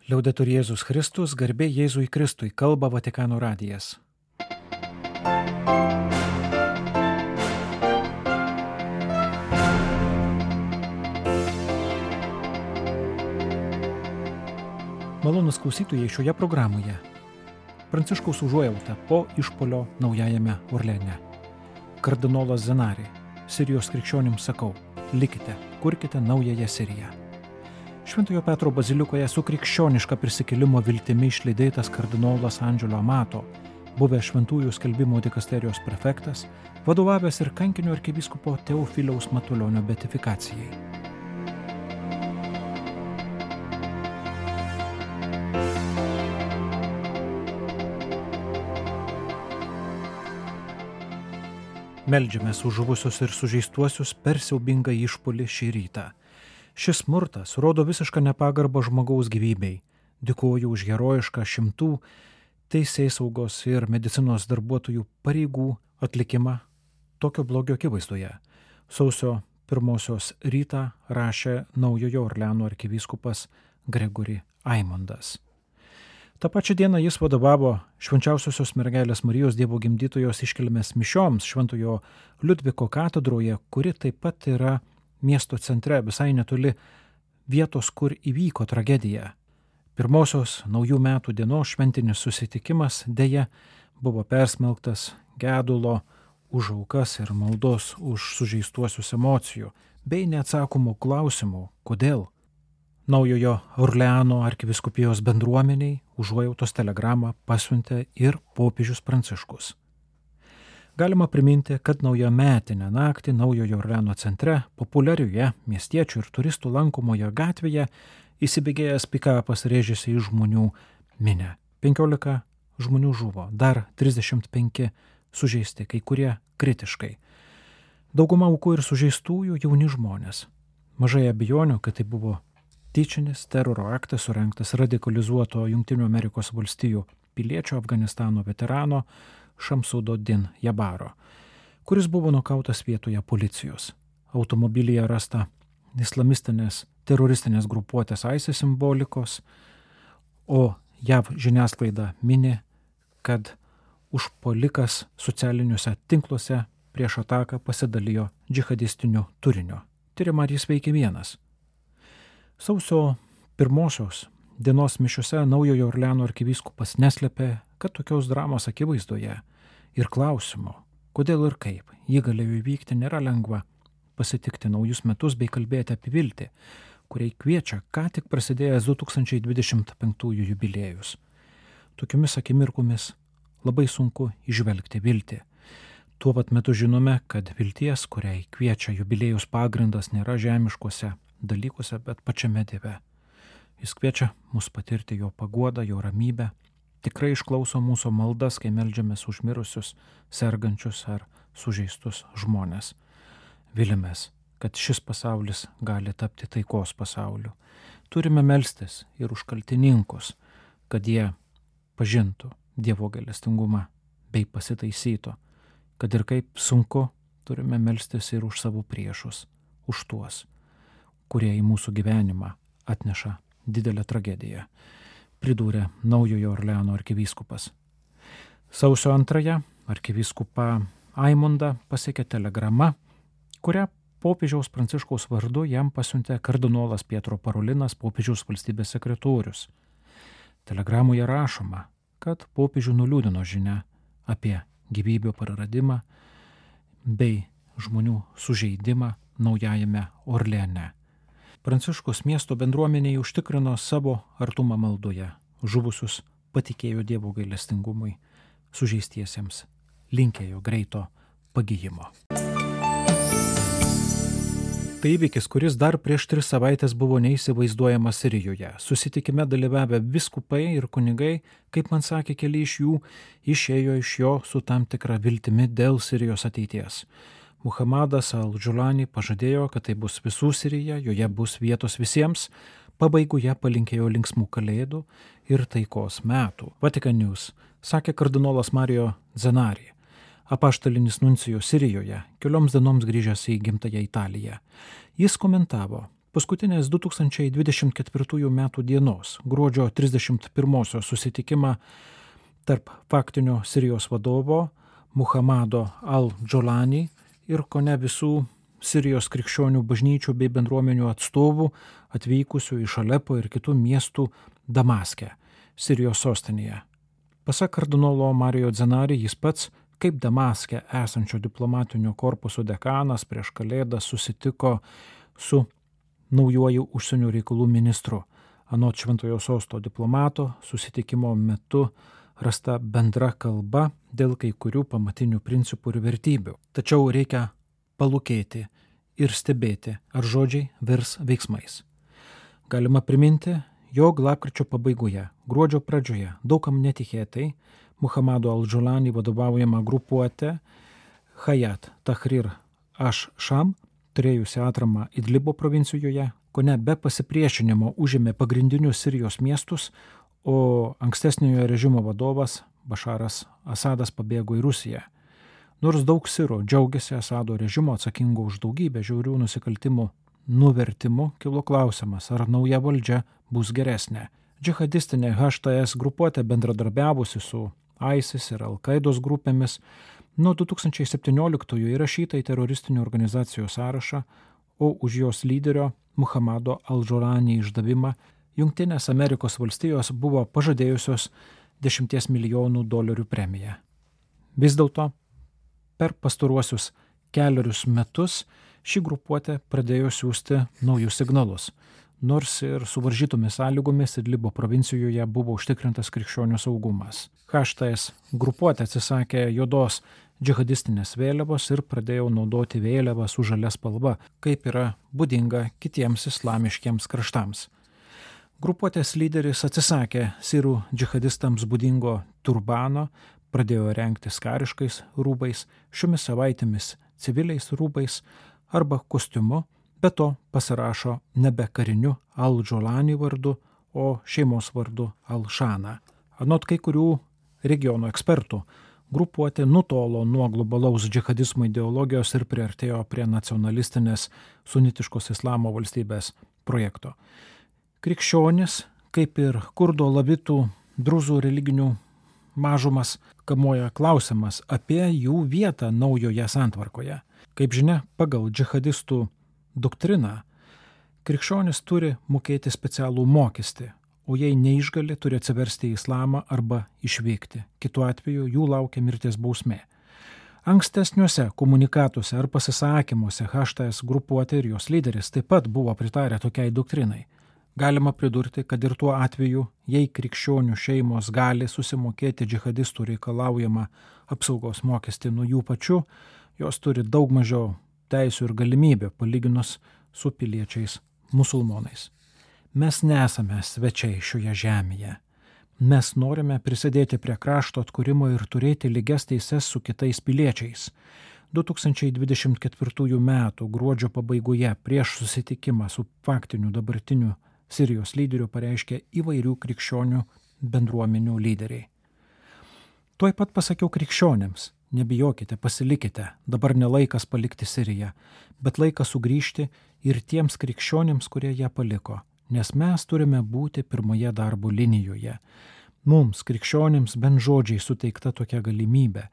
Liaudetur Jėzus Kristus, garbė Jėzui Kristui, kalba Vatikano radijas. Malonūs klausytojai, šioje programoje Pranciškaus užuojauta po išpuolio Naujajame Orleane. Kardinolas Zenari, Sirijos krikščionims sakau, likite, kurkite naująją Siriją. Šventojo Petro bazilikoje su krikščioniška prisikėlimo viltimi išlydėtas kardinolas Andželo Amato, buvęs šventųjų skelbimo dikasterijos prefektas, vadovavęs ir kankinio arkivyskupo Teofiliaus Matulionio beatifikacijai. Meldžiamės už žuvusius ir sužeistuosius per siaubingą išpuolį šį rytą. Šis smurtas rodo visišką nepagarbą žmogaus gyvybei. Dėkoju už herojišką šimtų teisėsaugos ir medicinos darbuotojų pareigų atlikimą tokio blogio akivaizdoje. Sausio 1 rytą rašė Naujojo Orleano arkivyskupas Gregory Aimondas. Ta pačia diena jis vadovavo Švenčiausiosios mergelės Marijos Dievo gimdytojos iškilmės mišioms Šventojo Liudviko katedroje, kuri taip pat yra miesto centre, visai netoli vietos, kur įvyko tragedija. Pirmosios naujų metų dienos šventinis susitikimas deja buvo persmelktas gedulo už aukas ir maldos už sužeistuosius emocijų, bei neatsakomų klausimų, kodėl. Naujojo Orleano arkivyskupijos bendruomeniai užuojautos telegramą pasiuntė ir popiežius Pranciškus. Galima priminti, kad naujametinę naktį Naujojo Orleano centre, populiarioje miestiečių ir turistų lankomoje gatvėje, įsibėgėjęs pikapas rėžėsi į žmonių minią. 15 žmonių žuvo, dar 35 sužeisti, kai kurie kritiškai. Dauguma aukų ir sužeistųjų jauni žmonės. Mažai abejonių, kad tai buvo tyčinis teroro aktas surengtas radikalizuoto Jungtinių Amerikos valstijų piliečio Afganistano veterano Šamsudo Din Jabaro, kuris buvo nukautas vietoje policijos. Automobilyje rasta islamistinės teroristinės grupuotės ISIS simbolikos, o JAV žiniasklaida mini, kad užpuolikas socialiniuose tinkluose prieš ataką pasidalijo džihadistiniu turiniu. Tyrima, ar jis veikė vienas. Sausio 1 dienos mišiuose Naujojo Orleano arkivyskupas neslėpė, kad tokios dramos akivaizdoje ir klausimo, kodėl ir kaip jį galėjo įvykti, nėra lengva pasitikti naujus metus bei kalbėti apie viltį, kuriai kviečia ką tik prasidėjęs 2025 jubiliejus. Tokiomis akimirkomis labai sunku įžvelgti viltį. Tuo pat metu žinome, kad vilties, kuriai kviečia jubiliejus pagrindas, nėra žemiškuose dalykuose, bet pačiame Dieve. Jis kviečia mus patirti jo paguodą, jo ramybę, tikrai išklauso mūsų maldas, kai meldžiamės už mirusius, sergančius ar sužeistus žmonės. Vilimės, kad šis pasaulis gali tapti taikos pasauliu. Turime melstis ir už kaltininkus, kad jie pažintų Dievo gailestingumą bei pasitaisytų, kad ir kaip sunku, turime melstis ir už savo priešus, už tuos, kurie į mūsų gyvenimą atneša didelę tragediją, pridūrė Naujojo Orleano arkivyskupas. Sausio 2 arkivyskupą Aimondą pasiekė telegrama, kurią popiežiaus Pranciškaus vardu jam pasiuntė kardinolas Pietro Parolinas, popiežiaus valstybės sekretorius. Telegramoje rašoma, kad popiežių nuliūdino žinia apie gyvybių praradimą bei žmonių sužeidimą Naujajame Orleane. Pranciškus miesto bendruomeniai užtikrino savo artumą maldoje, žuvusius patikėjo Dievo gailestingumui, sužeistiesiems linkėjo greito pagijimo. Tai įvykis, kuris dar prieš 3 savaitės buvo neįsivaizduojamas Sirijoje. Susitikime dalyvavę vyskupai ir kunigai, kaip man sakė keli iš jų, išėjo iš jo su tam tikra viltimi dėl Sirijos ateities. Muhammadas al-Džulani pažadėjo, kad tai bus visų Sirija, joje bus vietos visiems, pabaigoje palinkėjo linksmų kalėdų ir taikos metų. Vatican News sakė kardinolas Mario Zenari, apaštalinis nuncijus Sirijoje, kelioms dienoms grįžęs į gimtąją Italiją. Jis komentavo paskutinės 2024 m. dienos, gruodžio 31 susitikimą tarp faktinio Sirijos vadovo Muhamado al-Džolani ir kone visų Sirijos krikščionių bažnyčių bei bendruomenių atstovų atvykusių iš Alepo ir kitų miestų Damaske, Sirijos sostinėje. Pasak kardinolo Mario Zenari, jis pats, kaip Damaske esančio diplomatinio korpuso dekanas, prieš Kalėdas susitiko su naujuoju užsienio reikalų ministru. Anot Šventojo Sosto diplomato, susitikimo metu rasta bendra kalba dėl kai kurių pamatinių principų ir vertybių. Tačiau reikia palūkėti ir stebėti, ar žodžiai virs veiksmais. Galima priminti, jog lapkričio pabaigoje, gruodžio pradžioje, daugam netikėtai, Muhamado al-Džolani vadovaujama grupuotė Hayat Tahrir ash-Sham, turėjusi atramą Idlibo provincijoje, kone be pasipriešinimo užėmė pagrindinius Sirijos miestus, o ankstesniojo režimo vadovas Bašaras Asadas pabėgo į Rusiją. Nors daug sirų džiaugiasi Asado režimo atsakingo už daugybę žiaurių nusikaltimų nuvertimu, kilo klausimas, ar nauja valdžia bus geresnė. Džihadistinė HTS grupuotė bendradarbiavusi su ISIS ir Al-Qaidos grupėmis nuo 2017 įrašyta į teroristinių organizacijų sąrašą, o už jos lyderio Muhamado al-Džolani išdavimą Jungtinės Amerikos valstijos buvo pažadėjusios $10 milijonų premiją. Vis dėlto, per pastaruosius kelerius metus ši grupuotė pradėjo siųsti naujus signalus, nors ir suvaržytomis sąlygomis Idlibo provincijoje buvo užtikrintas krikščionių saugumas. HTS grupuotė atsisakė juodos džihadistinės vėliavos ir pradėjo naudoti vėliavą su žalia spalva, kaip yra būdinga kitiems islamiškiems kraštams. Grupuotės lyderis atsisakė sirų džihadistams būdingo turbano, pradėjo rengtis kariškais rūbais, šiomis savaitėmis civiliais rūbais arba kostiumu, be to pasirašo nebe kariniu al-Džolani vardu, o šeimos vardu al-Shana. Anot kai kurių regiono ekspertų, grupuotė nutolo nuo globalaus džihadizmo ideologijos ir priartėjo prie nacionalistinės sunitiškos islamo valstybės projekto. Krikščionis, kaip ir kurdo lavitų druzų religinių mažumas, kamuoja klausimas apie jų vietą naujoje santvarkoje. Kaip žinia, pagal džihadistų doktriną, krikščionis turi mokėti specialų mokestį, o jei neišgali, turi atsiversti į islamą arba išvykti. Kitu atveju jų laukia mirties bausmė. Ankstesniuose komunikatuose ar pasisakymuose HTS grupuotė ir jos lyderis taip pat buvo pritarę tokiai doktrinai. Galima pridurti, kad ir tuo atveju, jei krikščionių šeimos gali susimokėti džihadistų reikalaujamą apsaugos mokestį nuo jų pačių, jos turi daug mažiau teisių ir galimybę palyginus su piliečiais musulmonais. Mes nesame svečiai šioje žemėje. Mes norime prisidėti prie krašto atkūrimo ir turėti lygias teises su kitais piliečiais. 2024 m. gruodžio pabaigoje prieš susitikimą su faktiniu dabartiniu Sirijos lyderiu pareiškė įvairių krikščionių bendruomenių lyderiai. Tuoj pat pasakiau krikščionėms, nebijokite, pasilikite, dabar ne laikas palikti Siriją, bet laikas sugrįžti ir tiems krikščionėms, kurie ją paliko, nes mes turime būti pirmoje darbo linijoje. Mums, krikščionėms, bent žodžiai suteikta tokia galimybė.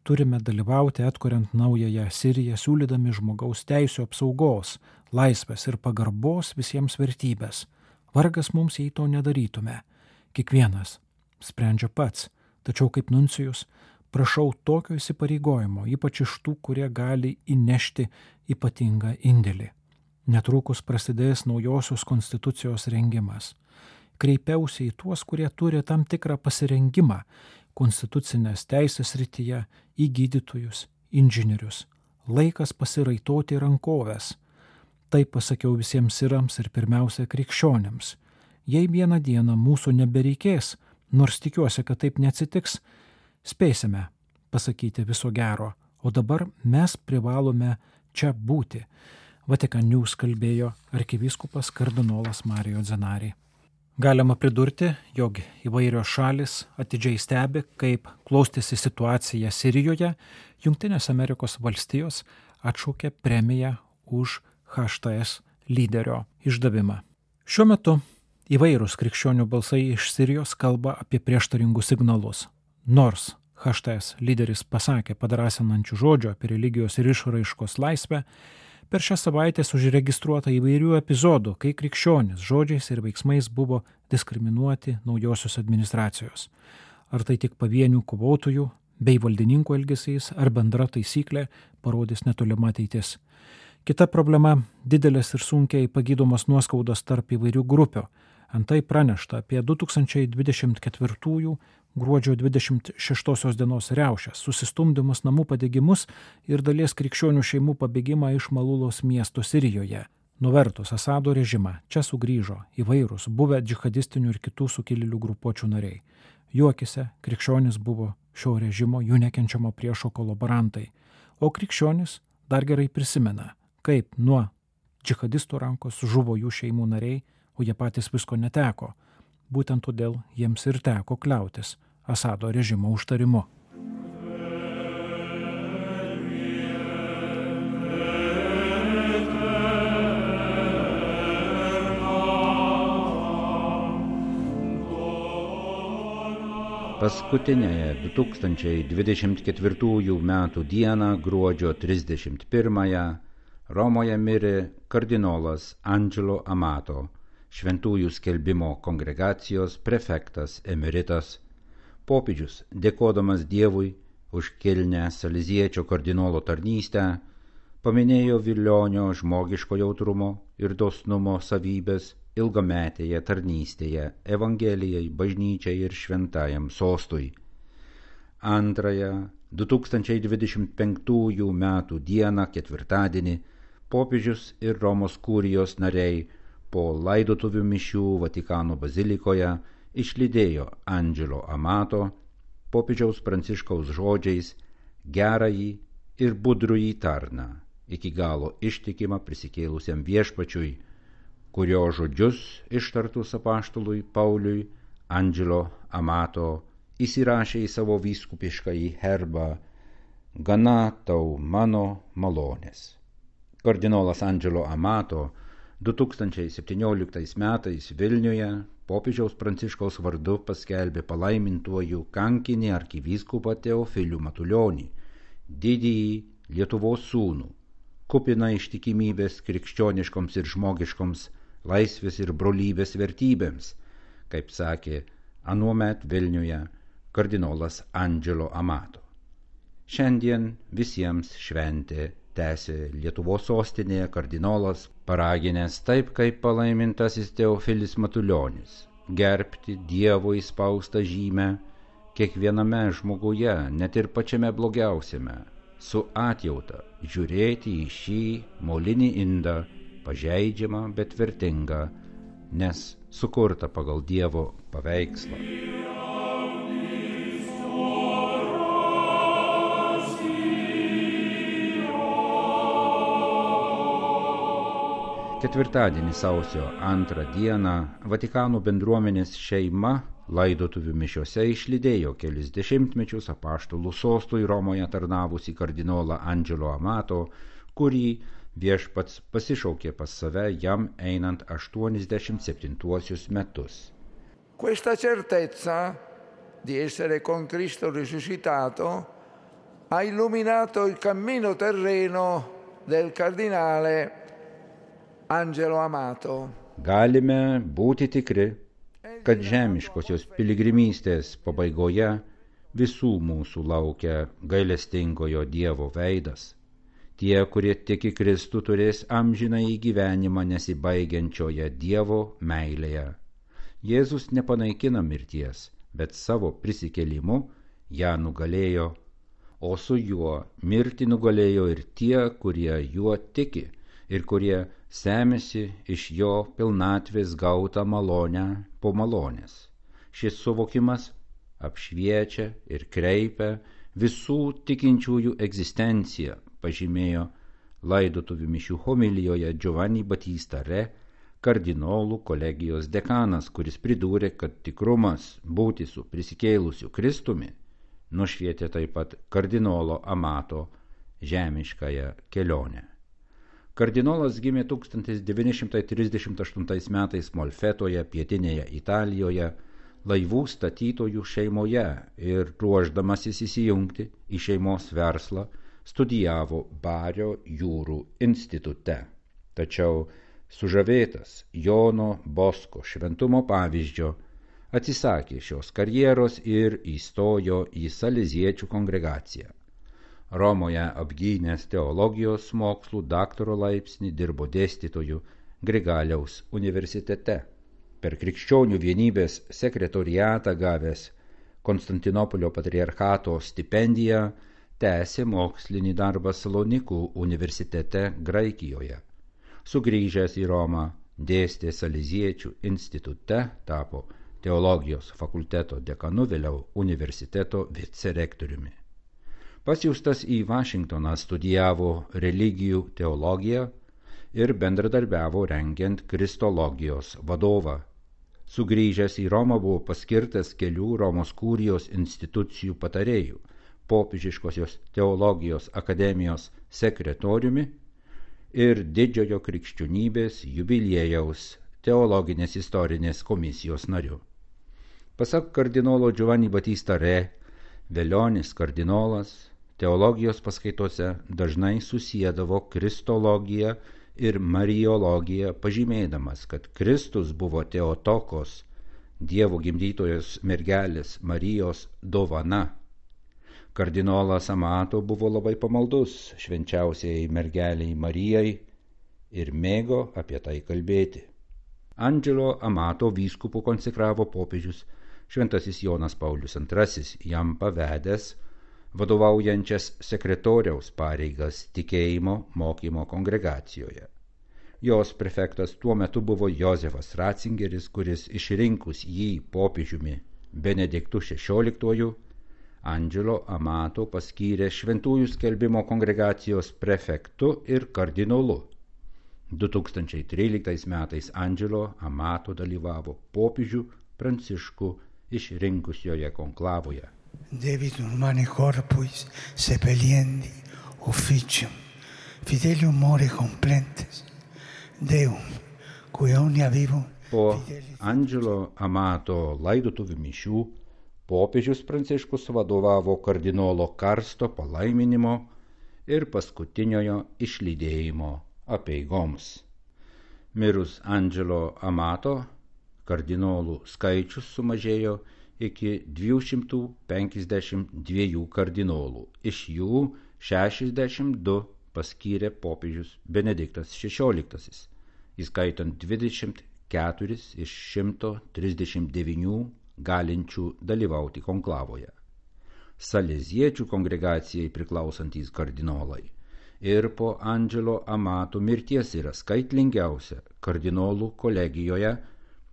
Turime dalyvauti atkuriant naująją Siriją, siūlydami žmogaus teisių apsaugos, laisvės ir pagarbos visiems vertybės. Vargas mums, jei to nedarytume. Kiekvienas sprendžia pats, tačiau kaip nuncijus prašau tokio įsipareigojimo, ypač iš tų, kurie gali įnešti ypatingą indėlį. Netrukus prasidės naujosios konstitucijos rengimas. Kreipiausi į tuos, kurie turi tam tikrą pasirengimą konstitucinės teisės srityje, į gydytojus, inžinierius. Laikas pasiraitoti rankoves. Tai pasakiau visiems sirams ir pirmiausia krikščionėms. Jei vieną dieną mūsų nebereikės, nors tikiuosi, kad taip neatsitiks, spėsime pasakyti viso gero, o dabar mes privalome čia būti. Vatikan News kalbėjo arkivyskupas kardinolas Mario Zenari. Galima pridurti, jog įvairios šalis atidžiai stebi, kaip klostėsi situacija Sirijoje. Jungtinės Amerikos valstijos atšaukė premiją už HTS lyderio išdavimą. Šiuo metu įvairūs krikščionių balsai iš Sirijos kalba apie prieštaringus signalus. Nors HTS lyderis pasakė padrasinančių žodžių apie religijos ir išraiškos laisvę, per šią savaitę užregistruota įvairių epizodų, kai krikščionys žodžiais ir veiksmais buvo diskriminuoti naujosios administracijos. Ar tai tik pavienių kovotojų bei valdininkų elgesys, ar bendra taisyklė, parodys netolima ateitis. Kita problema – didelės ir sunkiai pagydomos nuoskaudos tarp įvairių grupių. Antai pranešta apie 2024 gruodžio 26 dienos riaušes, susistumdymus, namų padegimus ir dalies krikščionių šeimų pabėgimą iš Malulos miesto Sirijoje. Nuvertus Asado režimą, čia sugrįžo įvairūs buvę džihadistinių ir kitų sukilėlių grupuočių nariai. Jų akyse krikščionys buvo šio režimo jų nekenčiamo priešo kolaborantai, o krikščionys dar gerai prisimena, kaip nuo džihadistų rankos žuvo jų šeimų nariai, o jie patys visko neteko. Būtent todėl jiems ir teko kliautis Asado režimo užtarimu. Paskutinėje 2024 metų dieną, gruodžio 31-ąją, Romoje mirė kardinolas Angelo Amato, Šventųjų skelbimo kongregacijos prefektas emeritas. Popiežius, dėkodamas Dievui už kilnią saliziečio kardinolo tarnystę, paminėjo Vilionio žmogiško jautrumo ir dosnumo savybės ilgametėje tarnystėje Evangelijai, bažnyčiai ir šventajam sostui. Antrąją 2025 metų dieną, ketvirtadienį, popiežius ir Romos kurijos nariai po laidotuvių mišių Vatikano bazilikoje išlydėjo Angelo Amato popiežiaus Pranciškaus žodžiais gerąjį ir budrųjį tarną, iki galo ištikimą prisikėlusiam viešpačiui, kurio žodžius ištartus apaštalui Pauliui Angelo Amato įsirašė į savo vyskupiškąjį herbą "Gana tau mano malonės". Kardinolas Angelo Amato 2017 metais Vilniuje popiežiaus Pranciškaus vardu paskelbė palaimintuoju kankinį arkivyskupą Teofilių Matulionį, didįjį Lietuvos sūnų, kupiną ištikimybės krikščioniškoms ir žmogiškoms laisvės ir brolybės vertybėms, kaip sakė anuomet Vilniuje kardinolas Angelo Amato. Šiandien visiems šventė tęsė Lietuvos sostinėje kardinolas, paraginęs taip kaip palaimintasis Teofilis Matulionis, gerbti Dievo įspaustą žymę kiekviename žmoguje, net ir pačiame blogiausiame, su atjauta žiūrėti į šį molinį indą, pažeidžiamą, bet vertingą, nes sukurta pagal Dievo paveikslą. Ketvirtadienį sausio 2 dieną Vatikano bendruomenės šeima laidotuvių mišiose išlydėjo kelis dešimtmečius apaštalų sostui Romoje tarnavusį kardinolą Angelo Amato, kurį viešpats pasišaukė pas save jam einant 87 metus. Questa certezza di essere con Cristo risuscitato ha illuminato il cammino terreno del cardinale Angelo Amato. Galime būti tikri, kad žemiškosios piligrimystės pabaigoje visų mūsų laukia gailestingojo Dievo veidas. Tie, kurie tiki Kristų, turės amžinąjį gyvenimą nesibaigiančioje Dievo meilėje. Jėzus nepanaikina mirties, bet savo prisikėlimu ją nugalėjo, o su juo mirtį nugalėjo ir tie, kurie juo tiki ir kurie semėsi iš jo pilnatvės gautą malonę po malonės. Šis suvokimas apšviečia ir kreipia visų tikinčiųjų egzistenciją, pažymėjo laidotuvių mišių homilijoje Giovanni Battista Re, kardinolų kolegijos dekanas, kuris pridūrė, kad tikrumas būti su prisikėlusiu Kristumi nušvietė taip pat kardinolo Amato žemiškąją kelionę. Kardinolas gimė 1938 metais Molfetoje, pietinėje Italijoje, laivų statytojų šeimoje ir ruošdamasis įsijungti į šeimos verslą studijavo Bario jūrų institute. Tačiau sužavėtas Jono Bosko šventumo pavyzdžio atsisakė šios karjeros ir įstojo į saleziečių kongregaciją. Romoje apgynęs teologijos mokslų daktaro laipsnį dirbo dėstytoju Grigaliaus universitete. Per Krikščionių vienybės sekretoriatą gavęs Konstantinopolio patriarchato stipendiją tęsė mokslinį darbą Salonikų universitete Graikijoje. Sugrįžęs į Romą dėstė saleziečių institute, tapo teologijos fakulteto dekanu, vėliau universiteto vicerektoriumi. Pasiųstas į Vašingtoną studijavo religijų teologiją ir bendradarbiavo rengiant kristologijos vadovą. Sugrįžęs į Romą buvo paskirtas kelių Romos kurijos institucijų patarėjų, popiežiškosios teologijos akademijos sekretoriumi ir Didžiojo krikščionybės jubiliejaus teologinės istorinės komisijos nariu. Pasak kardinolo Giovanni Battista Re, Velionis kardinolas teologijos paskaitose dažnai susiedavo kristologiją ir mariologiją, pažymėdamas, kad Kristus buvo Teotokos, Dievo gimdytojos mergelės Marijos dovana. Kardinolas Amato buvo labai pamaldus švenčiausiai mergeliai Marijai ir mėgo apie tai kalbėti. Angelo Amato vyskupu konsekravo popiežius šventasis Jonas Paulius II, jam pavedęs vadovaujančias sekretoriaus pareigas tikėjimo mokymo kongregacijoje. Jos prefektas tuo metu buvo Jozefas Ratzingeris, kuris išrinkus jį popiežiumi Benediktu XVI, Angelo Amato paskyrė šventųjų skelbimo kongregacijos prefektu ir kardinolu. 2013 metais Angelo Amato dalyvavo popiežių Pranciškų išrinkusioje konklavoje. Debitum humani corporis sepeliendi officium fidelium more complentes Deum, cui omnia vivum. Po Angelo Amato laidotuvių mišių popiežius Pranciškus vadovavo kardinolo Karsto palaiminimo ir paskutiniojo išlydėjimo apeigoms. Mirus Angelo Amato, kardinolų skaičius sumažėjo iki 252 kardinolų, iš jų 62 paskyrė popiežius Benediktas XVI, įskaitant 24 iš 139 galinčių dalyvauti konklavoje. Saleziečių kongregacijai priklausantys kardinolai ir po Angelo Amato mirties yra skaitlingiausia kardinolų kolegijoje,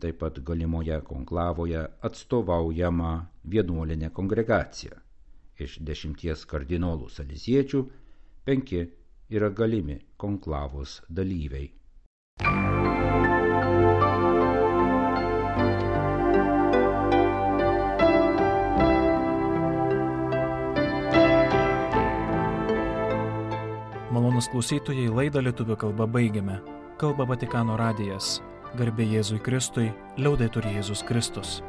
taip pat galimoje konklavoje atstovaujama vienuolinė kongregacija. Iš 10 kardinolų saleziečių 5 yra galimi konklavos dalyviai. Malonūs klausytojai, laidą lietuvių kalba baigiame. Kalba Vatikano radijas. Garbė Jėzui Kristui, liaudetur Jėzus Kristus.